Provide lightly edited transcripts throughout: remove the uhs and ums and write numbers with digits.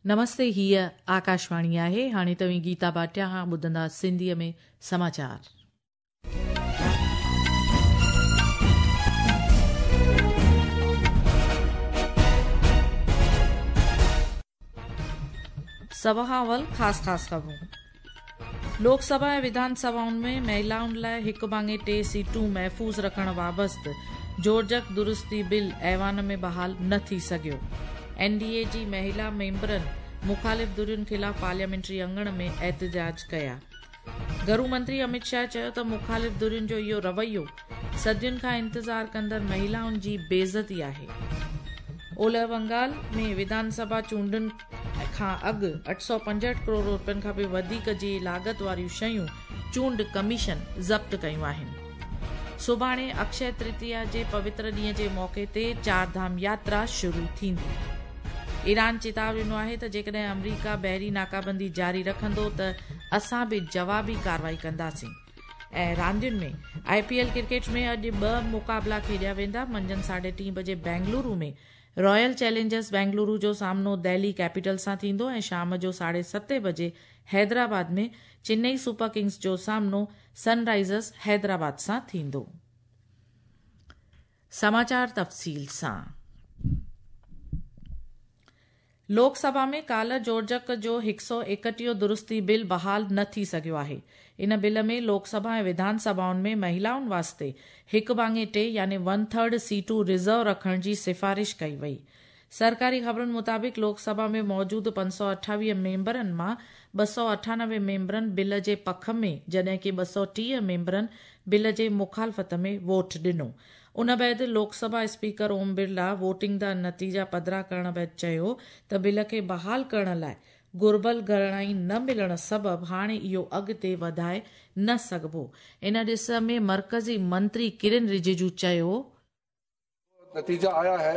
نمستي هيء آڪاشواڻي آهي هاڻي توهين گيتا ڀاٽيا کان ٻڌندا سنڌيء ۾ سماچار. سڀ کان اول خاص خاص خبرون. لوڪ سڀا ۽ وڌان سڀائن ۾ مهلائن لاء هڪ ڀاڱي ٽي سيٽون محفوظ رکڻ وابست جوڙجڪ درستي بل ايوان ۾ بحال نه ٿي سگهيو. اين ڊي اي جي مهلا ميمبرن مخالف ڌرين خلاف پارليامينٽري اڱڻ ۾ احتجاج ڪيا. گهرو منتري امت شاهه چيو ته مخالف ڌرين جو اهو رويو صدين کان انتظار ڪندڙ مهلائن جي بيعزتي آهي. اولهه بنگال ۾ وڌان سڀا چونڊن کان اڳ 865 ڪروڙ رپين کان به وڌيڪ جي لاڳت واريون شيون چونڊ ڪميشن ضبط ڪيون آهن. سڀاڻي اڪشي ترتيا جي پوتر ڏينهن جي موقعي تي چار ڌام ياترا شروع ٿيندي. ايران چتاء ڏنو آهي ته جيڪڏهن آمريڪا بحري ناڪابندي جاري رکندو ته اسان به جوابي ڪارروائي ڪنداسين. ۽ راندين ۾ آء پي ايل ڪرڪيٽ ۾ اڄ ٻه مقابلا کيڏيا ويندا، منجهند ساڍي ٽين بجي بينگلورو ۾ رائل چئلينجرز بينگلورو جو سامنو دهلي ڪيپيٽلز سان ٿيندو ۽ شام جو ساڍي ستين بجي حيدرآباد ۾ چنئي سپر ڪنگز جو سامنو سن رائيزرز حيدرآباد سان ٿيندو. سماچار تفصيل سان. لوڪ سڀا ۾ ڪالهه جوڙجڪ جو هڪ سؤ ايڪٽيهون درستي بل بحال نه ٿي سگهيو آهي. ان بل ۾ لوڪ سڀا ۽ وڌان سڀائن ۾ مهلائن واسطي هڪ ڀاڱي ٽي يعني ون ٿرڊ سيٽون رزرو رکڻ جي سفارش ڪئي وئي. سرڪاري خبرن مطابق لوڪ سڀا ۾ موجود 528 ميمبرن مان 298 ميمبرن بل جي پک ۾ جڏهن ڪي 230 ميمبرن بل جي مخالفت ۾ ووٽ ڏنو. ان بعد لوڪ سڀا اسپيڪر اوم برلا ووٽنگ دا نتيجا پڌرا ڪرڻ بعد چيو ته بل کي بحال ڪرڻ لاء گهربل گهڻائي نه ملڻ سبب هاڻي اهو اڳتي وڌائي نه سگهبو. ان ڏس ۾ مرڪزي منتري ڪرن رجيجو چيو. نتيجا آيا هي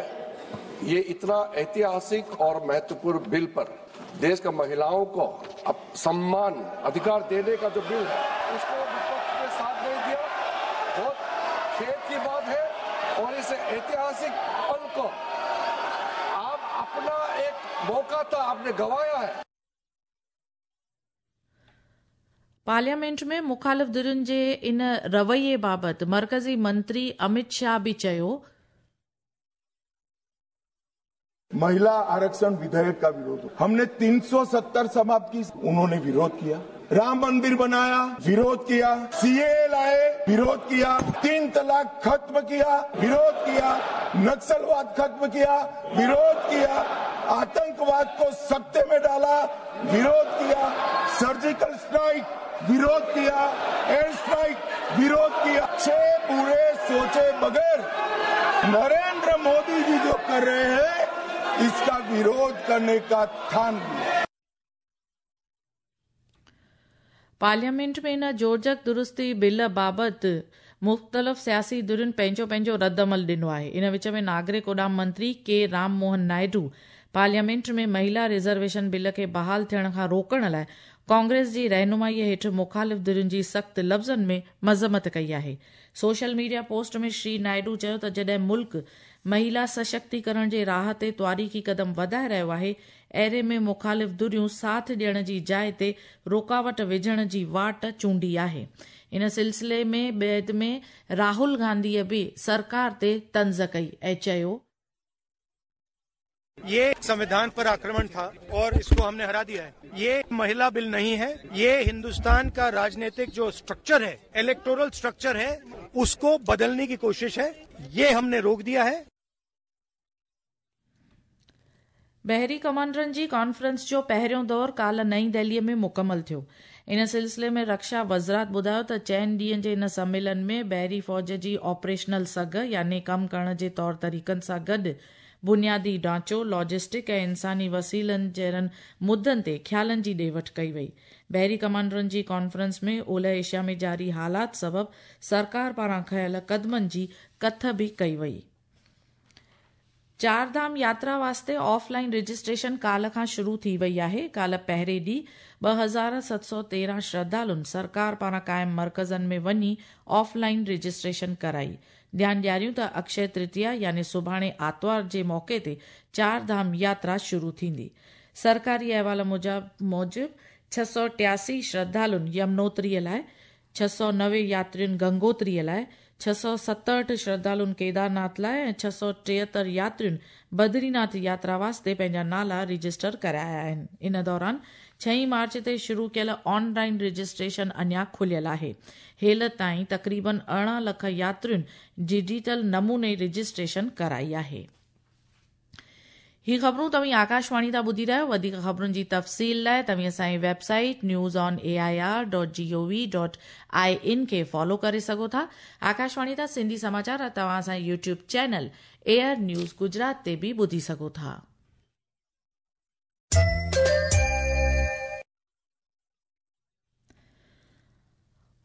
ये इतना ऐतिहासिक और महत्वपूर्ण बिल पर देश का महिलाओं को सम्मान अधिकार देने का जो बिल है उसको विपक्ष ने साथ नहीं दिया, बहुत खेद की बात है। और इस ऐतिहासिक पल को आप अपना एक मौका था आपने गवाया है। पार्लियामेंट में मुखालिफ धियुनि जे इन रवैये बाबति मर्कज़ी मंत्री अमित शाह बि चयो, महिला आरक्षण विधेयक का विरोध, हमने 370 समाप्त की, उन्होंने विरोध किया। राम मंदिर बनाया, विरोध किया। सीएए लाए, विरोध किया। 3 तलाक खत्म किया, विरोध किया। नक्सलवाद खत्म किया, विरोध किया। आतंकवाद को सत्ते में डाला, विरोध किया। सर्जिकल स्ट्राइक विरोध किया, एयर स्ट्राइक विरोध किया। 6 पूरे सोचे बगैर नरेंद्र मोदी जी जो कर रहे हैं इसका विरोध करने का ठान लिया। पार्लियामेंट में इन जोड़जक दुरुस्ती बिल बाबति मुख़्तलिफ़ सियासी धियुनि पंहिंजो पंहिंजो रद्द-अमल ॾिनो आहे। इन विच में नागरिक उॾाम मंत्री के राम मोहन नायडू पार्लियामेंट में महिला रिज़र्वेशन बिल खे बहाल थियण खां रोकण लाइ कांग्रेस जी रहनुमाईअ हेठि मुखालिफ़ धियुनि जी सख़्त लफ़्ज़नि में मज़म्मत कई आहे। सोशल मीडिया पोस्ट में श्री नायडू चयो त जॾहिं मुल्क महिला सशक्तिकरण जे राह ते तवारीख़ी कदम वधाए रहियो आहे, अहिड़े में मुखालिफ़ धिरियूं साथ ॾियण जी जाइ ते रुकावट विझण जी वाट चूंडी आहे। इन सिलसिले में बाद में राहुल गांधीअ बि सरकार ते तंज़ कई ऐं चयो, ये संविधान पर आक्रमण था और इसको हमने हरा दिया है। ये महिला बिल नहीं है, ये हिंदुस्तान का राजनीतिक जो स्ट्रक्चर है, इलेक्टोरल स्ट्रक्चर है, उसको बदलने की कोशिश है, ये हमने रोक दिया है। बहरी कमांडरनि जी कॉन्फ्रेंस जो पहिरियों दौर काल्ह नई दिल्लीअ में मुकमल थियो। इन सिलसिले में रक्षा वज़ारत ॿुधायो त 4 ॾींहनि जे इन सम्मेलन में बहरी फ़ौज जी ऑपरेशनल सघ यानी कमु करण जे तौर तरीक़नि सां गॾु बुनियादी ढांचो, लॉजिस्टिक ऐं इंसानी वसीलनि जहिड़नि मुद्दनि ते ख़्यालनि जी ॾे वठि कई वई। बहरी कमांडरनि जी कॉन्फ्रेंस में ओलह एशिया में जारी हालात सबबि सरकार पारां खयल क़दमनि जी कथ बि कई वई। चार धाम यात्रा वास्ते ऑफलाइन रजिस्ट्रेशन काल्ह खां शुरू थी वई आहे। काल्ह पहिरें ॾींहुं 2713 श्रद्धालुनि सरकार पारां क़ाइम मर्कज़नि में वञी ऑफलाइन रजिस्ट्रेशन कराई। ध्यानु ॾियारियूं त अक्षय तृतीया यानी सुभाणे आतिवार जे मौक़े ते चार धाम यात्रा शुरू थींदी। सरकारी अहवाल मूजिबि 683 श्रद्धालुनि यमुनोत्रीअ लाइ, 690 यात्रियुनि गंगोत्रीअ लाइ, 667 श्रद्धालुनि केदारनाथ लाइ ऐं 673 यात्रियुनि बद्रीनाथ यात्रा वास्ते पंहिंजा नाला रजिस्टर कराया आहिनि। इन दौरान 6 मार्च ते शुरू कयल ऑनलाइन रजिस्ट्रेशन अञा खुलियल आहे। हेल ताईं तक़रीबन 18 लख यात्रियुनि डिजिटल नमूने रजिस्ट्रेशन कराई आहे। ही ख़बरूं तव्हीं आकाशवाणी तां ॿुधी रहिया आहियो। वधीक ख़बरुनि जी तफ़सील लाइ तव्हीं असांजी वेबसाइट newsonair.gov.in खे फॉलो करे सघो था। आकाशवाणी तां सिंधी समाचार तव्हां असांजे YouTube channel AIR news Gujarat ते बि ॿुधी सघो था।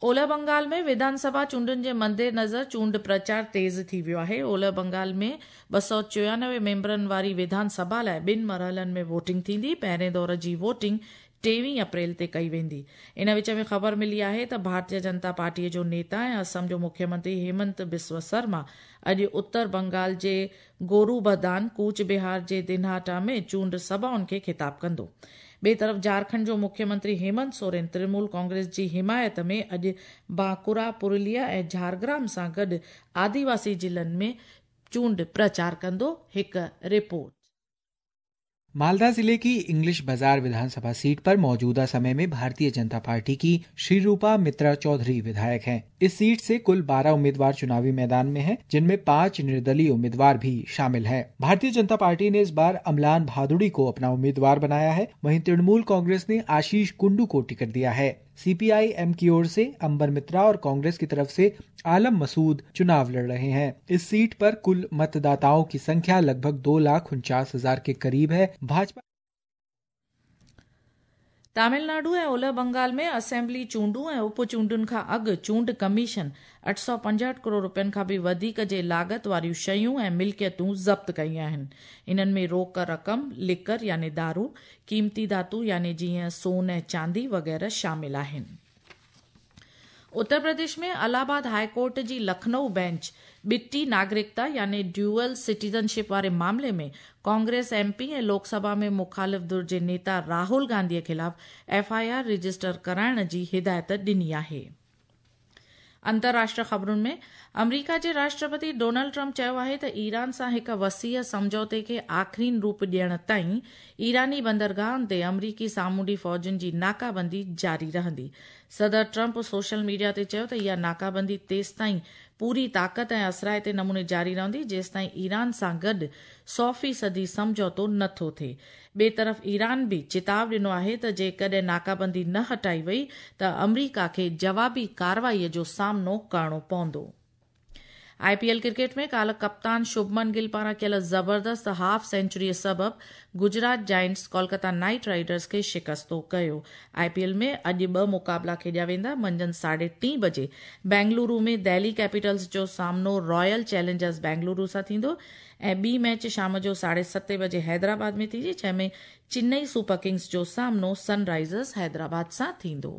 ओलह बंगाल में विधानसभा चूंडुनि जे मद्देनज़र चूंड प्रचार तेज़ थी वियो आहे। ओलह बंगाल में 294 मेंबरनि वारी विधानसभा लाइ ॿिनि मरहलनि में वोटिंग थींदी। पहिरें दौर जी वोटिंग 23 अप्रैल ते कई वेंदी। इन विच में ख़बर मिली आहे त भारतीय जनता पार्टीअ जो नेता ऐं असम जो मुख्यमंत्री हेमंत बिस्व शर्मा अॼु उत्तर बंगाल जे गोरूबदान, कूच बिहार जे दिनहाटा में चूंड सभाउनि खे ख़िताब कंदो। ॿिए तरफ़ झारखंड जो मुख्यमंत्री हेमंत सोरेन तृणमूल कांग्रेस जी हिमायत में अॼु बांकुरा, पुरुलिया ऐं झारग्राम सां गॾु आदिवासी ज़िलनि में चूंड प्रचार कंदो। हिकु रिपोर्ट। मालदा जिले की इंग्लिश बाजार विधानसभा सीट पर मौजूदा समय में भारतीय जनता पार्टी की श्रीरूपा मित्रा चौधरी विधायक हैं। इस सीट से कुल 12 उम्मीदवार चुनावी मैदान में हैं, जिनमें 5 निर्दलीय उम्मीदवार भी शामिल हैं। भारतीय जनता पार्टी ने इस बार अमलान भादुड़ी को अपना उम्मीदवार बनाया है। वहीं तृणमूल कांग्रेस ने आशीष कुंडू को टिकट दिया है। सीपीआईएम की ओर से अंबर मित्रा और कांग्रेस की तरफ से आलम मसूद चुनाव लड़ रहे हैं। इस सीट पर कुल मतदाताओं की संख्या लगभग 2,49,000 के करीब है। भाजपा तमिलनाडु ऐं ओलह बंगाल में असेंबली चूंडूं ऐं उप चूंडुनि खां अॻु चूंड कमीशन 865 करोड़ रुपयनि खां बि वधीक जे लागत वारियूं शयूं ऐं मिल्कियतूं ज़ब्त कयूं आहिनि। इन्हनि में रोक रक़म, लिकर यानी दारू, क़ीमती धातु यानी जीअं सोन ऐं चांदी वग़ैरह शामिल आहिनि। उत्तर प्रदेश में अलाहाबाद हाई कोर्ट जी लखनऊ बेंच ॿिटी नागरिकता यानी ड्यूअल सिटीजनशिप वारे मामले में कांग्रेस एमपी ऐं लोकसभा में मुखालिफ़ धुर जे नेता राहुल गांधीअ ख़िलाफ़ एफआईआर रजिस्टर कराइण जी हिदायत ॾिनी आहे। अंतर्राष्ट्रीय ख़बरुनि में अमरीका जे राष्ट्रपति डोनाल्ड ट्रंप चयो आहे त ईरान सां हिकु वसीअ सम्झौते खे आख़िरीन रूप ॾियण ताईं ईरानी बंदरगाहनि ते अमरीकी सामुंडी फ़ौजुनि जी नाकाबंदी जारी रहंदी। सदर ट्रंप सोशल मीडिया ते चयो त इहा नाकाबंदी तेसिताईं पूरी ताक़त ऐं असराइते नमूने जारी रहंदी जेसिताईं ईरान सां गॾु 100% सम्झौतो नथो थिए। ॿिए तरफ़ ईरान बि चेताव ॾिनो आहे त जेकॾहिं नाकाबंदी न हटाई वई त अमरीका खे जवाबी कार्रवाईअ जो सामनो करिणो पवंदो। आईपीएल क्रिकेट में काल्ह कप्तान शुभमन गिल पारां कयल ज़बरदस्त हाफ सेंचुरीअ सबबि Gujarat Giants Kolkata Knight Riders खे शिकस्तो कयो। आईपीएल में अॼु ॿ मुक़ाबला खेॾिया वेंदा। मंझंदि 3:30 बजे बेंगलुरु में दिल्ली कैपिटल्स जो सामनो रॉयल चैलेंजर्स बेंगलुरु सां थींदो ऐं ॿी मैच शाम जो 7:30 बजे हैदराबाद में थींदी, जंहिंमें चेन्नई सुपर किंग्स जो सामनो सनराइजर्स हैदराबाद सां थींदो।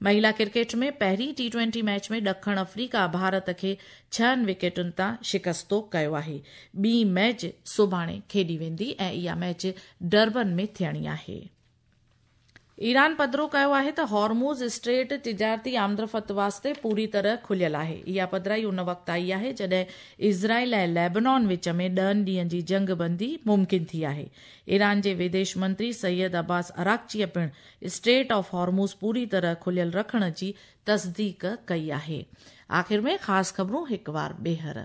महिला क्रिकेट में पहिरीं टी20 मैच में ॾखण अफ्रीका भारत खे 6 विकेटुनि तां शिकस्तो कयो आहे। ॿी मैच सुभाणे खेॾी वेंदी ऐं इहा मैच डरबन में थियणी आहे। ईरान पधरो कयो आहे त हॉर्मुज़ स्ट्रेट तिजारती आमदरफ़्त वास्ते पूरी तरह खुलियल आहे। इहा पधराई उन वक़्तु आई आहे जॾहिं इज़राइल ऐं लेबनान विच में 10 ॾींहनि जी जंगबंदी मुमकिन थी आहे। ईरान जे विदेश मंत्री सैयद अब्बास अराक़चीअ पिणु स्ट्रेट ऑफ हॉर्मुज़ पूरी तरह खुलियल रखण जी तस्दीक कई आहे। आख़िर में ख़ासि ख़बरूं हिकु वार ॿीहर।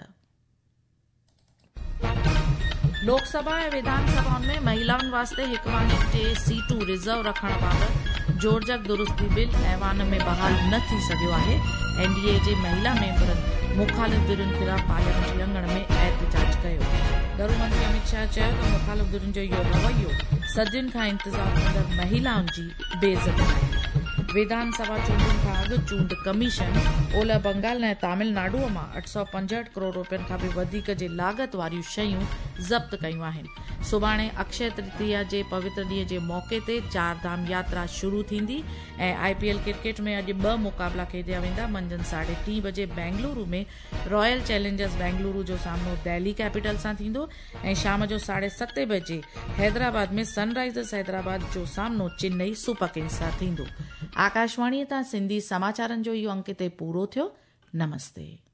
लोकसभा ऐं विधानसभाउनि में महिलाउनि वास्ते हिकु भाङे 3 सीटूं रिज़र्व रखण बाबति जोड़जक दुरुस्ती बिल ऐवान में बहाल न थी सघियो आहे। एनडीए जे महिला मेंबरनि मुखालिफ़ धुरियुनि ख़िलाफ़ पार्लियामेंट अंगण में एहतजाज कयो। घरू मंत्री अमित शाह चयो त मुखालिफ़ धुरियुनि जो इहो रवैयो सदियुनि खां इंतज़ार कंदड़ महिलाउनि जी बेइज़ती आहे। विधानसभा चूंडुनि खां अॻु चूंड कमीशन ओलह बंगाल ऐं तमिलनाडुअ मां 865 करोड़ रुपयनि खां बि वधीक जे लागत वारियूं शयूं ज़ब्त कयूं आहिनि। सुभाणे अक्षय तृतीया जे पवित्र ॾींहं जे मौक़े ते चार धाम यात्रा शुरू थींदी ऐं आईपीएल क्रिकेट में अॼु ॿ मुक़ाबला खेॾिया वेंदा। मंझंदि 3:30 बजे बेंगलुरु में रॉयल चैलेंजर्स बेंगलुरु जो सामनो दिल्ली कैपिटल सां थींदो ऐं शाम जो 7:30 बजे हैदराबाद में सनराइज़र्स हैदराबाद जो सामनो चेन्नई सुपर किंग्स सां थींदो। आकाशवाणीअ तां सिंधी समाचारनि जो इहो अंक हिते पूरो थियो। नमस्ते।